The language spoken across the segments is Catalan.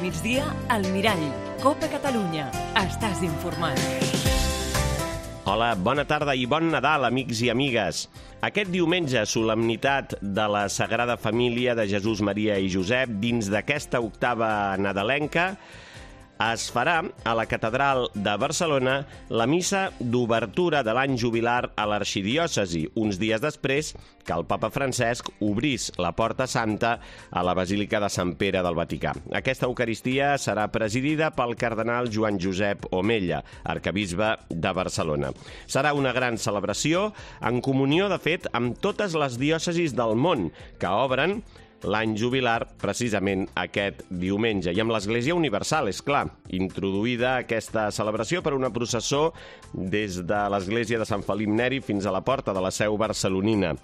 migdia, al Mirall. Copa Catalunya. Estàs informat. Hola, bona tarda i bon Nadal, amics i amigues. Aquest diumenge, solemnitat de la Sagrada Família de Jesús, Maria i Josep, dins d'aquesta octava nadalenca, es farà a la Catedral de Barcelona la missa d'obertura de l'any jubilar a l'arxidiòcesi, uns dies després que el papa Francesc obrís la Porta Santa a la Basílica de Sant Pere del Vaticà. Aquesta Eucaristia serà presidida pel cardenal Joan Josep Omella, arquebisbe de Barcelona. Serà una gran celebració, en comunió, de fet, amb totes les diòcesis del món, que obren l'any jubilar precisament aquest diumenge. I amb l'Església Universal, és clar, introduïda aquesta celebració per una processó des de l'Església de Sant Felip Neri fins a la porta de la seu barcelonina.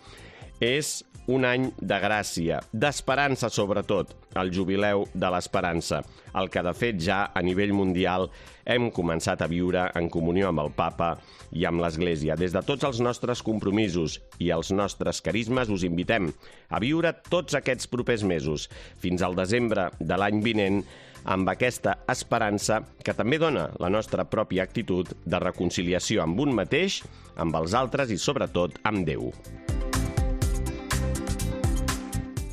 És un any de gràcia, d'esperança sobretot, el jubileu de l'esperança, el que de fet ja a nivell mundial hem començat a viure en comunió amb el papa i amb l'Església. Des de tots els nostres compromisos i els nostres carismes us invitem a viure tots aquests propers mesos, fins al desembre de l'any vinent, amb aquesta esperança que també dona la nostra pròpia actitud de reconciliació amb un mateix, amb els altres i sobretot amb Déu.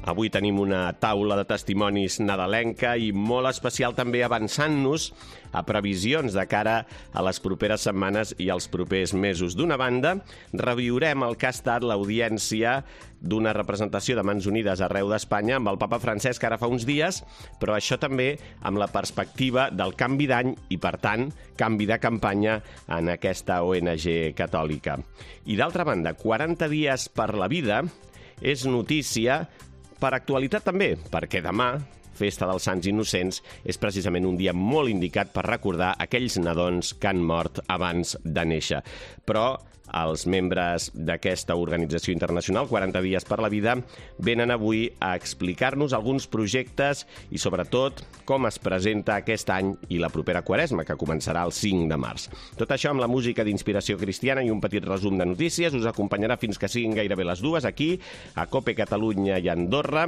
Avui tenim una taula de testimonis nadalenca i molt especial també avançant-nos a previsions de cara a les properes setmanes i als propers mesos. D'una banda, reviurem el que ha estat l'audiència d'una representació de Mans Unides arreu d'Espanya amb el papa Francesc ara fa uns dies, però això també amb la perspectiva del canvi d'any i, per tant, canvi de campanya en aquesta ONG catòlica. I d'altra banda, 40 dies per la vida és notícia per actualitat també, perquè demà, Festa dels Sants Innocents, és precisament un dia molt indicat per recordar aquells nadons que han mort abans de néixer. Però els membres d'aquesta organització internacional, 40 dies per la vida, venen avui a explicar-nos alguns projectes i, sobretot, com es presenta aquest any i la propera Quaresma, que començarà el 5 de març. Tot això amb la música d'inspiració cristiana i un petit resum de notícies us acompanyarà fins que siguin gairebé les 2 aquí, a Copa Catalunya i Andorra,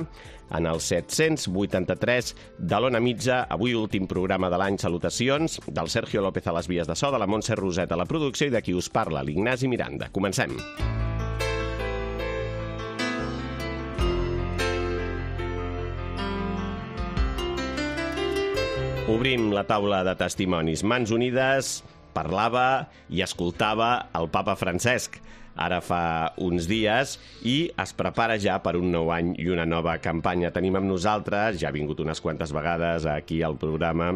en el 783 de l'Ona Mitja. Avui últim programa de l'any. Salutacions del Sergio López a les vies de so, de la Montse Roset a la producció i de qui us parla, l'Ignasi Miranda. Comencem. Obrim la taula de testimonis. Mans Unides parlava i escoltava el papa Francesc ara fa uns dies i es prepara ja per un nou any i una nova campanya. Tenim amb nosaltres, ja ha vingut unes quantes vegades aquí al programa,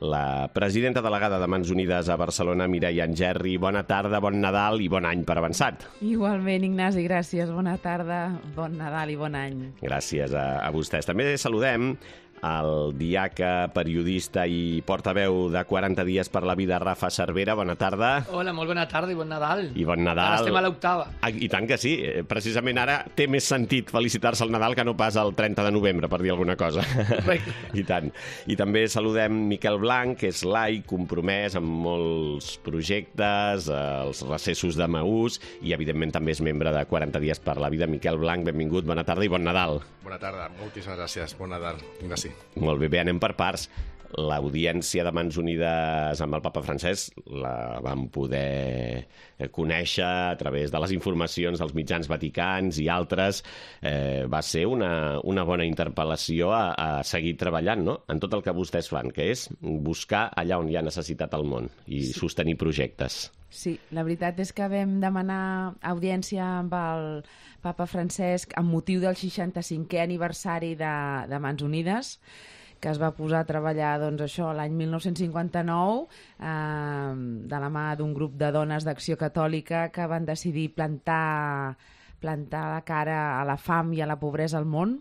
la presidenta delegada de Mans Unides a Barcelona, Mireia Angerri. Bona tarda, bon Nadal i bon any per avançat. Igualment, Ignasi, gràcies. Bona tarda, bon Nadal i bon any. Gràcies a vostès. També saludem el diaca, periodista i portaveu de 40 dies per la vida, Rafa Cervera. Bona tarda. Hola, molt bona tarda i bon Nadal. I bon Nadal. Ara estem a l'octava. I tant que sí. Precisament ara té més sentit felicitar-se al Nadal que no pas el 30 de novembre, per dir alguna cosa. I tant. I també saludem Miquel Blanc, que és laic, compromès amb molts projectes, els recessos de Maús, i evidentment també és membre de 40 dies per la vida. Miquel Blanc, benvingut, bona tarda i bon Nadal. Bona tarda, moltíssimes gràcies. Bon Nadal, Ignasi. Molt bé, anem per parts. L'audiència de Mans Unides amb el papa Francesc la vam poder conèixer a través de les informacions dels mitjans vaticans i altres. Va ser una bona interpel·lació a seguir treballant, no?, en tot el que vostès fan, que és buscar allà on hi ha necessitat al món i sostenir projectes. Sí, la veritat és que vam demanar audiència amb el papa Francesc amb motiu del 65è aniversari de Mans Unides, que es va posar a treballar l'any 1959 de la mà d'un grup de dones d'Acció Catòlica que van decidir plantar la cara a la fam i a la pobresa al món,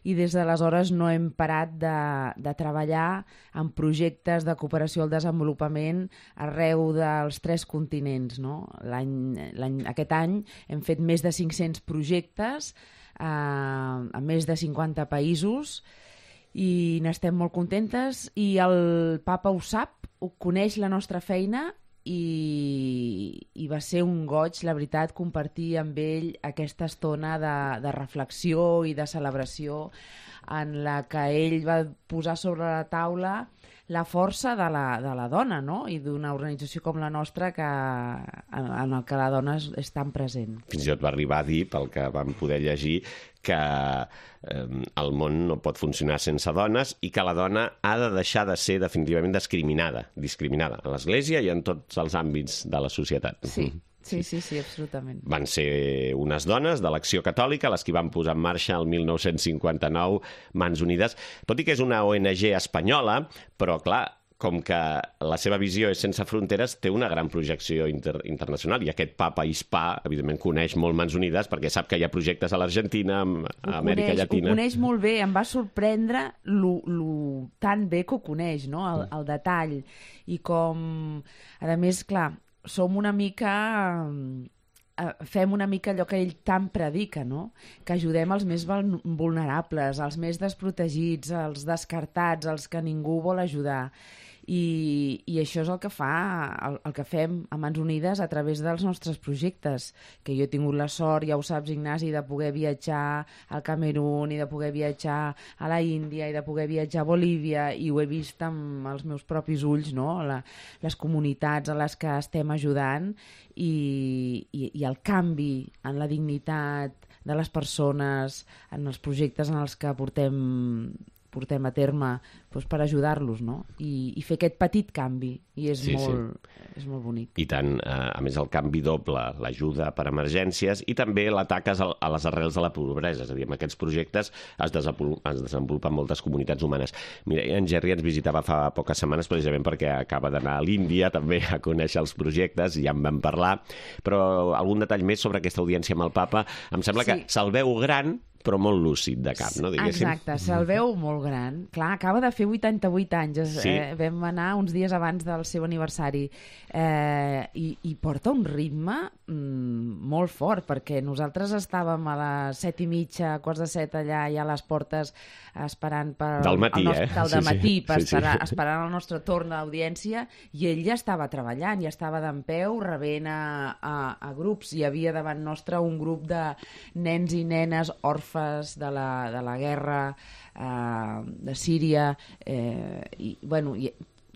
i des d'aleshores no hem parat de treballar en projectes de cooperació al desenvolupament arreu dels 3 continents. No? Aquest any hem fet més de 500 projectes a més de 50 països i n'estem molt contentes, i el papa ho sap, ho coneix la nostra feina, i va ser un goig, la veritat, compartir amb ell aquesta estona de reflexió i de celebració en la que ell va posar sobre la taula la força de la dona, no? I d'una organització com la nostra en el que la dona és tan present. Fins i tot va arribar a dir, pel que vam poder llegir, que el món no pot funcionar sense dones i que la dona ha de deixar de ser definitivament discriminada a l'Església i en tots els àmbits de la societat. Sí, absolutament. Van ser unes dones de l'Acció Catòlica les que van posar en marxa el 1959 Mans Unides, tot i que és una ONG espanyola, però clar, com que la seva visió és sense fronteres, té una gran projecció internacional i aquest papa hispà, evidentment, coneix molt Mans Unides perquè sap que hi ha projectes a l'Argentina, a Amèrica Llatina. Ho coneix molt bé, em va sorprendre tan bé que ho coneix, no? El detall. I com, a més, clar, som una mica... fem una mica allò que ell tant predica, no? Que ajudem els més vulnerables, els més desprotegits, els descartats, els que ningú vol ajudar. I això és el que el que fem a Mans Unides a través dels nostres projectes, que jo he tingut la sort, ja ho saps, Ignasi, de poder viatjar al Camerún i de poder viatjar a la Índia i de poder viatjar a Bolívia, i ho he vist amb els meus propis ulls, no? Les comunitats a les que estem ajudant i el canvi en la dignitat de les persones, en els projectes en els que portem a terme per ajudar-los, no? I fer aquest petit canvi, i és molt bonic. I tant, a més el canvi doble, l'ajuda per emergències i també l'atac a les arrels de la pobresa, és a dir, amb aquests projectes es desenvolupen moltes comunitats humanes. Mira, en Gerri ens visitava fa poques setmanes precisament perquè acaba d'anar a l'Índia també a conèixer els projectes, i ja en vam parlar, però algun detall més sobre aquesta audiència amb el papa? Em sembla que se'l veu gran, però molt lúcid de cap, no? Diguéssim. Exacte, se'l veu molt gran. Clar, acaba de fer 88 anys. Vam anar uns dies abans del seu aniversari. I porta un ritme molt fort, perquè nosaltres estàvem a les 7:30, 6:45, allà ja a les portes, esperant del matí, esperant el nostre torn d'audiència, i ell ja estava treballant, ja estava dempeus, rebent a grups. Hi havia davant nostre un grup de nens i nenes orfes de la guerra de Síria,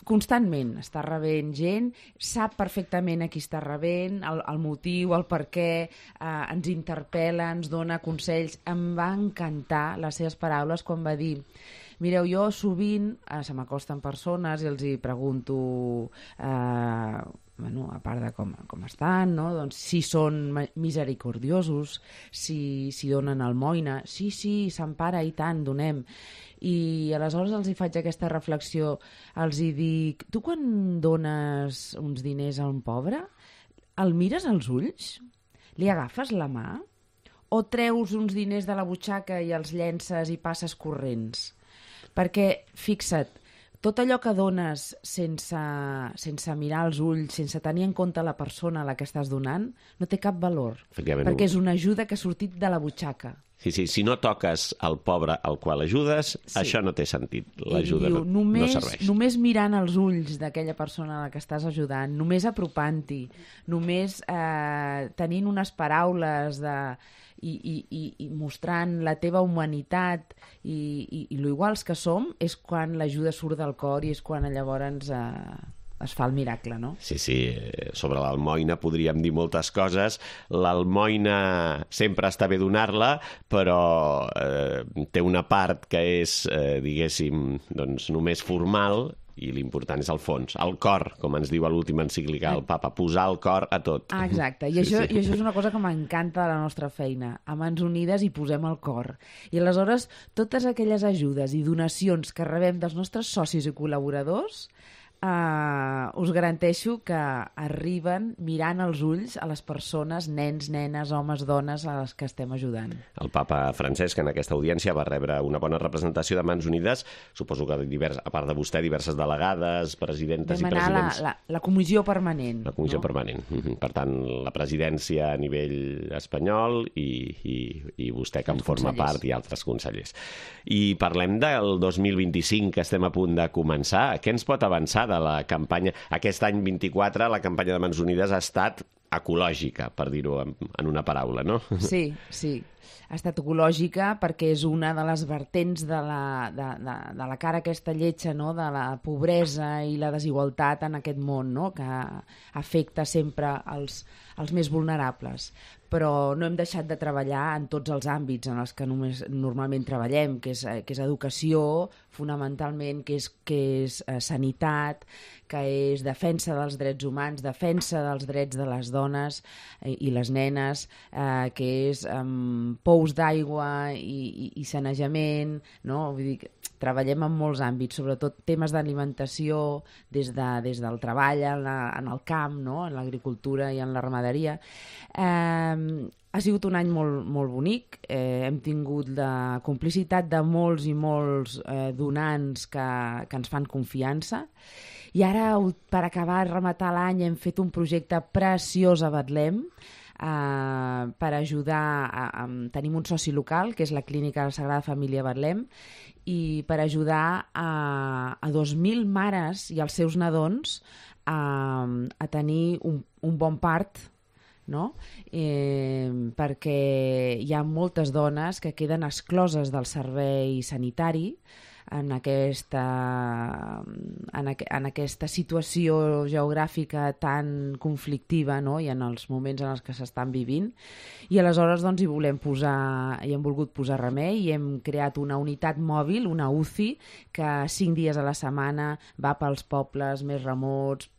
constantment està rebent gent, sap perfectament a qui està rebent, el motiu, el per què, ens interpel·la, ens dona consells. Em va encantar les seves paraules quan va dir: mireu, jo sovint se m'acosten persones i els hi pregunto, a part de com estan, no? Doncs si són misericordiosos, si donen almoina. Sí, Sant Pare, i tant, donem. I aleshores els hi faig aquesta reflexió, els hi dic: tu quan dones uns diners a un pobre, el mires als ulls? Li agafes la mà? O treus uns diners de la butxaca i els llences i passes corrents? Perquè, fixa't, tot allò que dones sense mirar als ulls, sense tenir en compte la persona a la que estàs donant, no té cap valor. Perquè és una ajuda que ha sortit de la butxaca. Sí, si no toques al pobre al qual ajudes, això no té sentit. L'ajuda no serveix. Només mirant els ulls d'aquella persona a la que estàs ajudant, només apropant-t'hi, només tenint unes paraules i mostrant la teva humanitat i lo iguals que som, és quan l'ajuda surt del cor i és quan llavors es fa el miracle, no? Sí, sobre l'almoina podríem dir moltes coses. L'almoina sempre està bé donar-la, però té una part que és, diguéssim, doncs només formal, i l'important és el fons, el cor, com ens diu a l'última encíclica el papa, posar el cor a tot. Exacte, i això és una cosa que m'encanta de la nostra feina. A Mans Unides hi posem el cor. I aleshores totes aquelles ajudes i donacions que rebem dels nostres socis i col·laboradors, us garanteixo que arriben mirant als ulls a les persones, nens, nenes, homes, dones, a les que estem ajudant. El papa Francesc en aquesta audiència va rebre una bona representació de Mans Unides, suposo que a part de vostè, diverses delegades, presidentes i presidents. Vam anar a la comissió permanent. La comissió permanent. Per tant, la presidència a nivell espanyol i vostè que en forma part i altres consellers. I parlem del 2025 que estem a punt de començar. Què ens pot avançar de la campanya? Aquest any 24 la campanya de Mans Unides ha estat ecològica, per dir-ho en una paraula, no? Sí, sí. Ha estat ecològica perquè és una de les vertents de la cara aquesta lletja, no? De la pobresa i la desigualtat en aquest món, no? Que afecta sempre els més vulnerables. Però no hem deixat de treballar en tots els àmbits en els que normalment treballem, que és educació, fonamentalment, que és sanitat, que és defensa dels drets humans, defensa dels drets de les dones i les nenes, que és pous d'aigua i sanejament, no? Vull dir que treballem en molts àmbits, sobretot temes d'alimentació, des del treball en el camp, no? En l'agricultura i en la ramaderia. Ha sigut un any molt, molt bonic. Hem tingut la complicitat de molts i molts donants que ens fan confiança. I ara, per acabar de rematar l'any, hem fet un projecte preciós a Betlem per ajudar. Tenim un soci local, que és la Clínica de la Sagrada Família Betlem, i per ajudar a 2.000 mares i els seus nadons a tenir un bon part, no? Perquè hi ha moltes dones que queden excloses del servei sanitari en aquesta situació geogràfica tan conflictiva, no? I en els moments en els que s'estan vivint. I aleshores doncs, hi hem volgut posar remei i hem creat una unitat mòbil, una UCI, que 5 dies a la setmana va pels pobles més remots,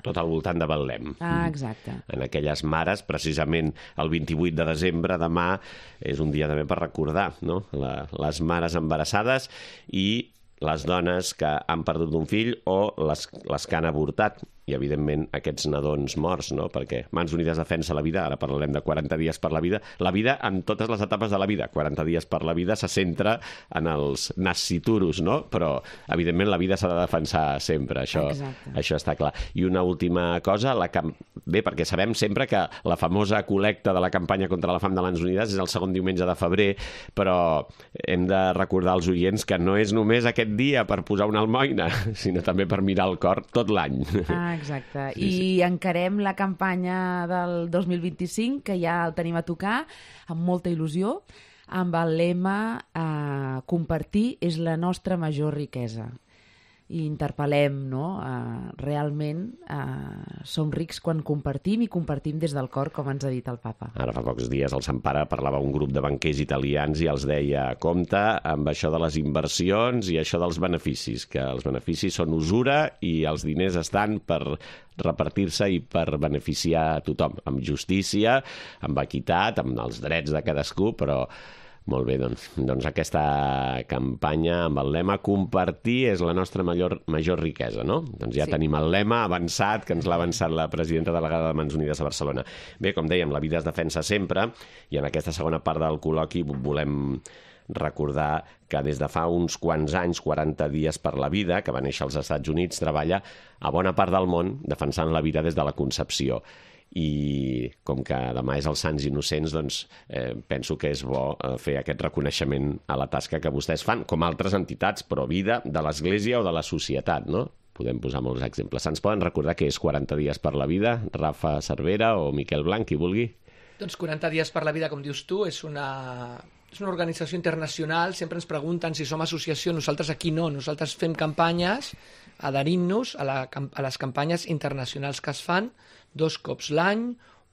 tot al voltant de Betlem. Exacte. En aquelles mares, precisament el 28 de desembre, demà, és un dia també per recordar, no? Les mares embarassades i les dones que han perdut un fill o les que han avortat. I, evidentment, aquests nadons morts, no? Perquè Mans Unides defensa la vida, ara parlarem de 40 dies per la vida en totes les etapes de la vida. 40 dies per la vida se centra en els nasciturus, no? Però, evidentment, la vida s'ha de defensar sempre, això està clar. I una última cosa, bé, perquè sabem sempre que la famosa col·lecta de la campanya contra la fam de Mans Unides és el segon diumenge de febrer, però hem de recordar als oients que no és només aquest dia per posar una almoina, sinó també per mirar el cor tot l'any. Exacte. I encarem la campanya del 2025, que ja el tenim a tocar, amb molta il·lusió, amb el lema compartir és la nostra major riquesa. I interpel·lem, no? Realment som rics quan compartim i compartim des del cor, com ens ha dit el papa. Ara fa pocs dies el Sant Pare parlava un grup de banquers italians i els deia: compte amb això de les inversions i això dels beneficis, que els beneficis són usura i els diners estan per repartir-se i per beneficiar a tothom, amb justícia, amb equitat, amb els drets de cadascú, però molt bé, doncs aquesta campanya amb el lema compartir és la nostra major riquesa, no? Doncs ja tenim el lema avançat, que ens l'ha avançat la presidenta delegada de Mans Unides a Barcelona. Bé, com dèiem, la vida es defensa sempre, i en aquesta segona part del col·loqui volem recordar que des de fa uns quants anys, 40 dies per la vida, que va néixer als Estats Units, treballa a bona part del món defensant la vida des de la concepció. I com que demà és els Sants Innocents, doncs penso que és bo fer aquest reconeixement a la tasca que vostès fan, com altres entitats, però vida de l'Església o de la societat, no? Podem posar molts exemples. Ens poden recordar què és 40 dies per la vida? Rafa Cervera o Miquel Blanc, qui vulgui. Doncs 40 dies per la vida, com dius tu, és una organització internacional. Sempre ens pregunten si som associació. Nosaltres aquí no. Nosaltres fem campanyes adherint-nos a les campanyes internacionals que es fan 2 cops l'any,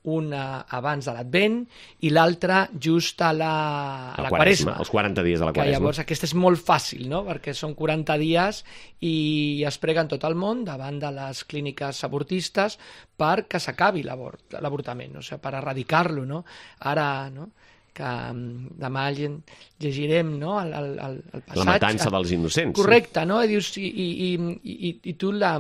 una abans de l'Advent i l'altra just a la Quaresma. Els 40 dies de la Quaresma. Llavors aquesta és molt fàcil, no? Perquè són 40 dies i es preguen tot el món davant de les clíniques abortistes perquè s'acabi l'avortament, o sigui, per erradicar-lo, no? Ara, no?, que demà llegirem, no?, el passatge. La matança dels innocents. Correcte, no? I tu la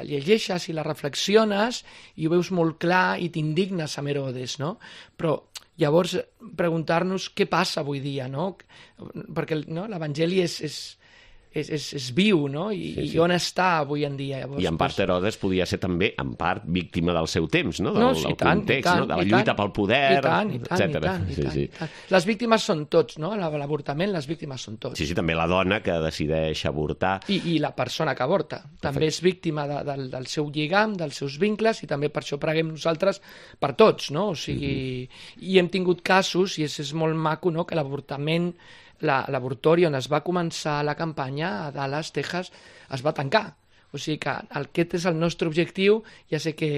llegeixes i la reflexiones i ho veus molt clar i t'indignes amb Herodes, no? Però llavors preguntar-nos què passa avui dia, no? Perquè l'Evangeli és és viu, no? I on està avui en dia? Llavors, I en part Herodes podia ser també, en part, víctima del seu temps, no? Del context, tant, no? De la lluita pel poder, etc. Les víctimes són tots, no? L'avortament, les víctimes són tots. Sí, també la dona que decideix avortar. I la persona que avorta. També és víctima del seu lligam, dels seus vincles, i també per això preguem nosaltres per tots, no? O sigui, i hem tingut casos, i és molt maco, no?, que l'avortament, l'abortori on es va començar la campanya a Dallas, Texas, es va tancar. O sigui que aquest és el nostre objectiu. Ja sé que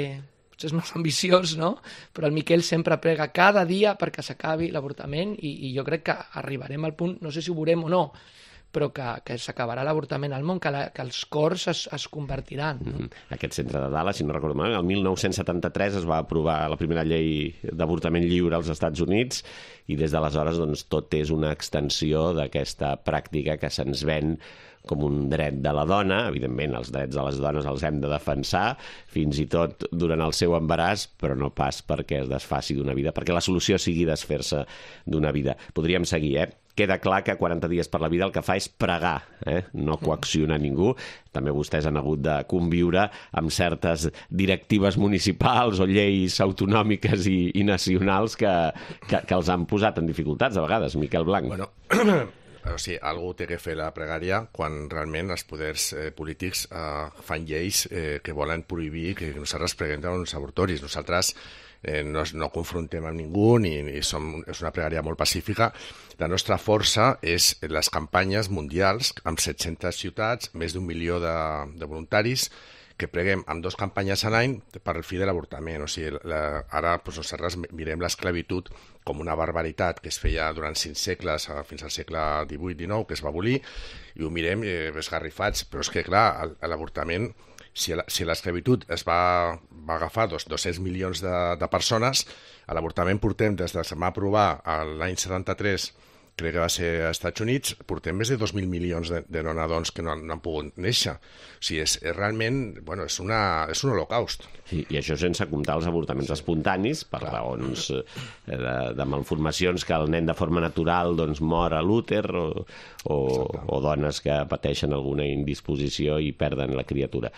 potser és molt ambiciós, no? Però el Miquel sempre prega cada dia perquè s'acabi l'avortament i jo crec que arribarem al punt, no sé si ho veurem o no, però que s'acabarà l'avortament al món, que els cors es convertiran. No? Aquest centre de Dallas, si no recordo malament, el 1973 es va aprovar la primera llei d'avortament lliure als Estats Units i des d'aleshores doncs, tot és una extensió d'aquesta pràctica que se'ns ven com un dret de la dona. Evidentment, els drets de les dones els hem de defensar, fins i tot durant el seu embaràs, però no pas perquè es desfaci d'una vida, perquè la solució sigui desfer-se d'una vida. Podríem seguir, Queda clar que 40 dies per la vida el que fa és pregar, no coaccionar ningú. També vostès han hagut de conviure amb certes directives municipals o lleis autonòmiques i nacionals que els han posat en dificultats a vegades, Miquel Blanc. Bueno, o sigui, algú té que fer la pregària quan realment els poders polítics fan lleis que volen prohibir que nosaltres preguem dels avortoris. Nosaltres no confrontem amb ningú és una pregària molt pacífica. La nostra força és les campanyes mundials amb 700 ciutats, més d'1 milió de voluntaris que preguem amb 2 campanyes a l'any per al fi de l'avortament. O sigui, ara nosaltres mirem l'esclavitud com una barbaritat que es feia durant 5 segles, fins al segle XVIII-XIX, que es va abolir, i ho mirem esgarrifats. Però és que, clar, l'avortament, si l'esclavitud es va agafar 200 milions de persones, a l'avortament portem, des que es va aprovar l'any 73, crec que va ser als Estats Units, portem més de 2.000 milions de nadons que no han pogut néixer. O sigui, és realment, bueno, és un holocaust. Sí, i això sense comptar els avortaments espontanis, per raons de malformacions, que el nen de forma natural doncs, mor a l'úter o dones que pateixen alguna indisposició i perden la criatura.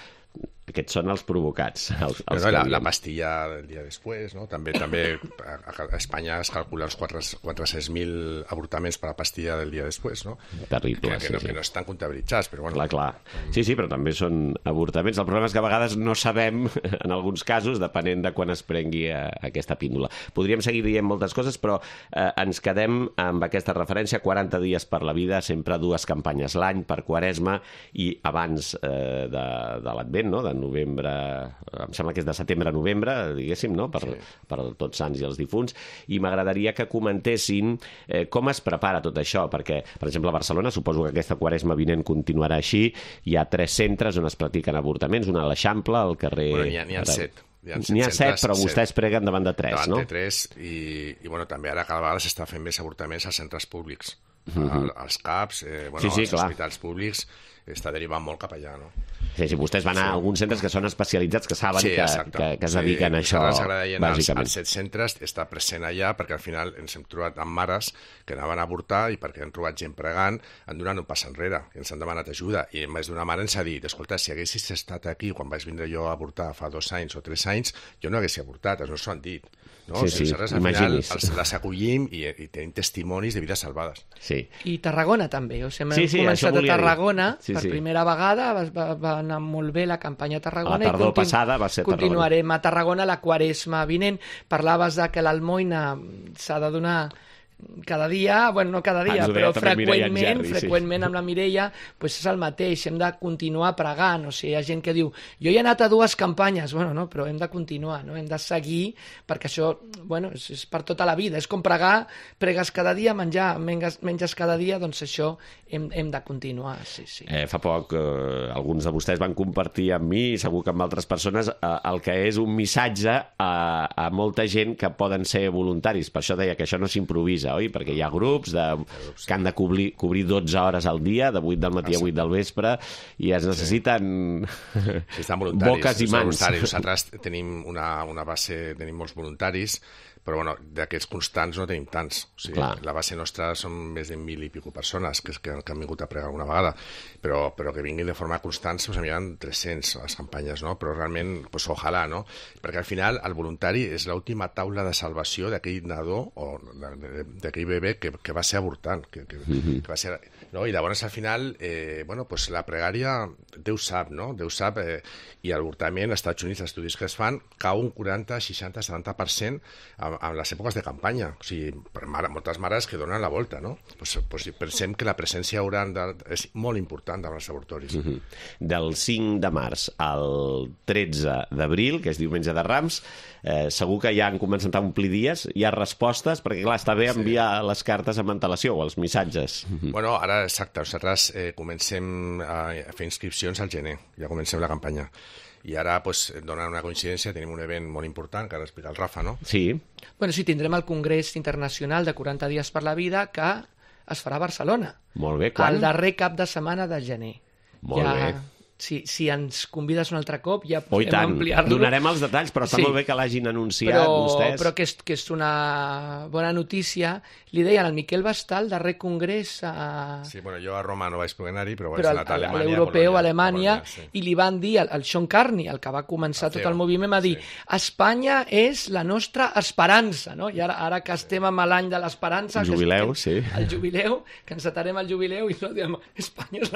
Aquests són els provocats. La pastilla del dia després, no? També a Espanya es calcula uns 400.000 avortaments per la pastilla del dia després, no? Terrible, que no estan comptabilitzats, però bueno. Clar. Sí, però també són avortaments. El problema és que a vegades no sabem, en alguns casos, depenent de quan es prengui aquesta píndola. Podríem seguir dient moltes coses, però ens quedem amb aquesta referència, 40 dies per la vida, sempre 2 campanyes l'any per Quaresma i abans de l'Advent, no? De novembre, em sembla que és de setembre a novembre, diguéssim, no? Per Tots Sants i els difunts, i m'agradaria que comentessin com es prepara tot això, perquè, per exemple, a Barcelona, suposo que aquesta Quaresma vinent continuarà així, hi ha 3 centres on es practiquen avortaments, una a l'Eixample, al carrer... Bueno, n'hi ha 7. N'hi ha 7, però vostès preguen davant de 3, no? Davant de 3, i bueno, també ara cada vegada s'està fent més avortaments als centres públics. Als CAPs, als hospitals públics, està derivant molt cap allà, no? Sí, vostès van a alguns centres que són especialitzats, que saben que es dediquen a això, bàsicament. Als 7 centres està present allà, perquè al final ens hem trobat amb mares que anaven a avortar i perquè han trobat gent pregant, han donat un pas enrere i ens han demanat ajuda. I més d'una mare ens ha dit, escolta, si haguessis estat aquí quan vaig vindre jo a avortar fa 2 anys o 3 anys, jo no haguessis avortat, no s'ho han dit. No? Sí, al final les acollim i tenim testimonis de vides salvades. Sí. I Tarragona també. O sigui, hem començat a Tarragona per primera vegada, va anar molt bé la campanya a Tarragona. La tardor passada va ser a Tarragona. Continuarem a Tarragona la Quaresma vinent. Parlaves de que l'almoina s'ha de donar cada dia, bueno, no cada dia, però freqüentment amb la Mireia, doncs és el mateix, hem de continuar pregant, o sigui, hi ha gent que diu, jo he anat a 2 campanyes, bueno, no, però hem de continuar, no? Hem de seguir, perquè això, bueno, és per tota la vida, és com pregar, pregues cada dia, menges cada dia, doncs això hem de continuar, sí. Fa poc, alguns de vostès van compartir amb mi, i segur que amb altres persones, el que és un missatge a molta gent que poden ser voluntaris, per això deia que això no s'improvisa, oi? Perquè hi ha grups que han de cobrir 12 hores al dia, de 8 del matí a 8 del vespre, i es necessiten boques i mans. Nosaltres tenim una base, tenim molts voluntaris, Però, bueno, d'aquests constants no tenim tants. O sigui, la base nostra són més de 1.000 i pico persones que han vingut a pregar alguna vegada, però que vinguin de forma constant, doncs hi ha 300 a les campanyes, no? Però realment, pues, ojalà, no? Perquè al final el voluntari és l'última taula de salvació d'aquell nadó o d'aquell bebè que va ser avortant, que va ser... No? I llavors, al final, bueno, pues, la pregària, Déu sap, no? Déu sap, i l'avortament, als Estats Units, els estudis que es fan, cau un 40, 60, 70% en les èpoques de campanya. O sigui, moltes mares que donen la volta, no? Pues pensem que la presència oral és molt important davant els avortoris. Del 5 de març al 13 d'abril, que és diumenge de Rams, segur que ja han començat a omplir dies, hi ha respostes, perquè clar, està bé enviar les cartes amb antelació o els missatges. Bueno, ara, exacte, nosaltres comencem a fer inscripcions al gener, ja comencem la campanya. I ara, pues, donant una coincidència, tenim un event molt important, que ara explica el Rafa, no? Sí. Bueno, sí, tindrem el Congrés Internacional de 40 dies per la vida, que es farà a Barcelona. Molt bé, quan? El darrer cap de setmana de gener. Molt bé. Si ens convides un altre cop, ja podem tant. Ampliar-lo. Donarem els detalls, però està molt bé que l'hagin anunciat vostès. Però que és una bona notícia. Li deien al Miquel Bastal, el darrer congrés... Sí, bueno, jo a Roma no vaig poder anar-hi, però vaig anar a Alemanya. L'europeu, a Alemanya, i li van dir, el Sean Carney, el que va començar tot el moviment, va dir, Espanya és la nostra esperança, no? I ara que estem amb l'any de l'esperança... El jubileu, sí. El jubileu, que ens atarem al jubileu, i no diem, Espanya és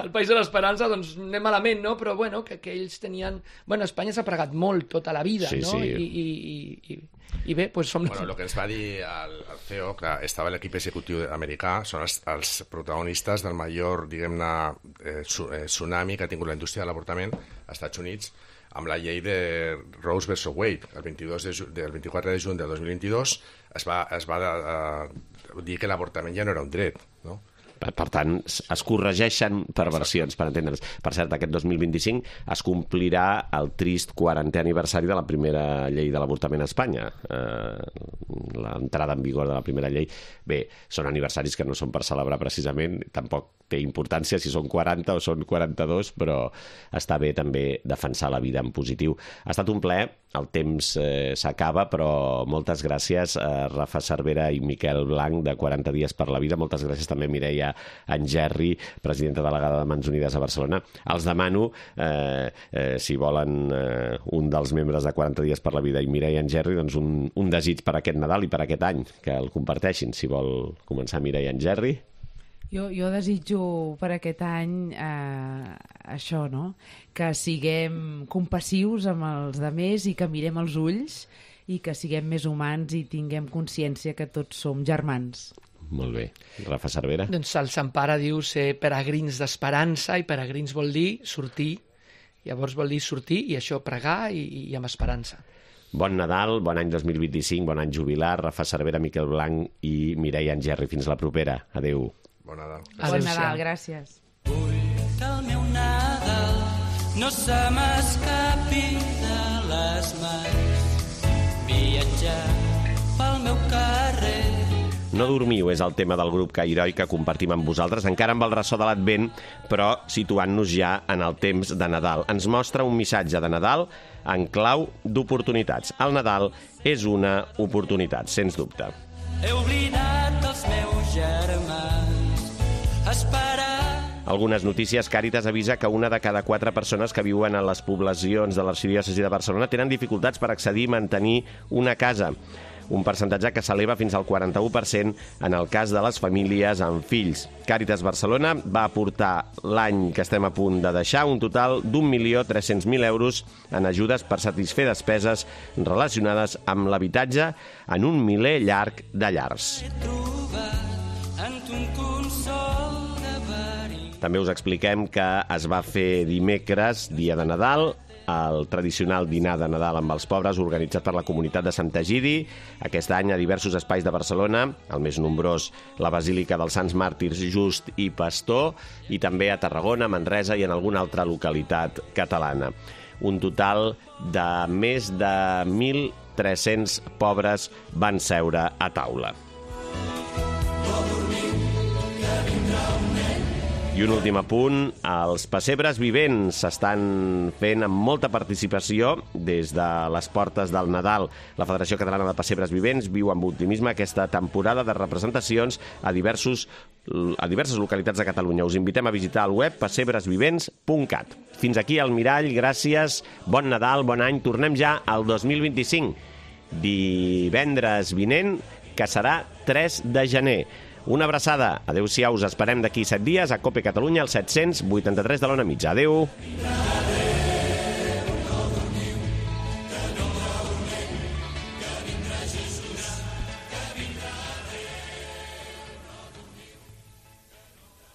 el país de l'esperança, doncs anem malament, no? Però, bueno, que ells tenien... Bueno, Espanya s'ha pregat molt tota la vida, no? Sí. I bé, doncs som... Bueno, el que ens va dir el CEO, que estava a l'equip executiu americà, són els protagonistes del major, diguem-ne, tsunami que ha tingut la indústria de l'avortament als Estats Units amb la llei de Roe vs. Wade. El 24 de juny del 2022 es va dir que l'avortament ja no era un dret, no? Per tant, es corregeixen perversions, per entendre's. Per cert, aquest 2025 es complirà el trist 40è aniversari de la primera llei de l'avortament a Espanya. L'entrada en vigor de la primera llei. Bé, són aniversaris que no són per celebrar precisament, tampoc té importància si són 40 o són 42, però està bé també defensar la vida en positiu. Ha estat un plaer, el temps s'acaba, però moltes gràcies a Rafa Cervera i Miquel Blanc de 40 dies per la vida. Moltes gràcies també a Mireia Angerri, presidenta delegada de Mans Unides a Barcelona. Els demano, si volen un dels membres de 40 dies per la vida i Mireia Angerri, doncs un desig per aquest Nadal i per aquest any, que el comparteixin. Si vol començar Mireia Angerri. Jo desitjo per aquest any això, no? Que siguem compassius amb els altres i que mirem els ulls i que siguem més humans i tinguem consciència que tots som germans. Molt bé. Rafa Cervera? Doncs el Sant Pare diu ser peregrins d'esperança, i peregrins vol dir sortir. Llavors vol dir sortir i això, pregar i amb esperança. Bon Nadal, bon any 2025, bon any jubilar. Rafa Cervera, Miquel Blanc i Mireia Angerri. Fins la propera. Adéu. Bon Nadal. Bon Nadal, gràcies. Vull que el meu Nadal no se m'escapi de les mans. Viatjar pel meu carrer. No dormiu és el tema del grup Cairoi que compartim amb vosaltres, encara amb el ressò de l'Advent, però situant-nos ja en el temps de Nadal. Ens mostra un missatge de Nadal en clau d'oportunitats. El Nadal és una oportunitat, sens dubte. He oblidat els meus germans, esperar. Algunes notícies. Càritas avisa que una de cada 4 persones que viuen a les poblacions de l'arxidiòcesi de Barcelona tenen dificultats per accedir i mantenir una casa. Un percentatge que s'eleva fins al 41% en el cas de les famílies amb fills. Càritas Barcelona va aportar l'any que estem a punt de deixar un total d'1.300.000 euros en ajudes per satisfer despeses relacionades amb l'habitatge en un miler llarg de llars. També us expliquem que es va fer dimecres, dia de Nadal, el tradicional dinar de Nadal amb els pobres organitzat per la comunitat de Sant Egidi. Aquest any a diversos espais de Barcelona, el més nombrós la Basílica dels Sants Màrtirs Just i Pastor, i també a Tarragona, Manresa i en alguna altra localitat catalana. Un total de més de 1.300 pobres van seure a taula. I un últim apunt, els pessebres vivents s'estan fent amb molta participació des de les portes del Nadal. La Federació Catalana de Pessebres Vivents viu amb optimisme aquesta temporada de representacions a diverses localitats de Catalunya. Us invitem a visitar el web pessebresvivents.cat. Fins aquí el Mirall, gràcies, bon Nadal, bon any, tornem ja al 2025. Divendres vinent, que serà 3 de gener. Una abraçada. Adéu-siau. Us esperem d'aquí 7 dies a Cope Catalunya, al 783 de l'Ona Mitja. Adéu.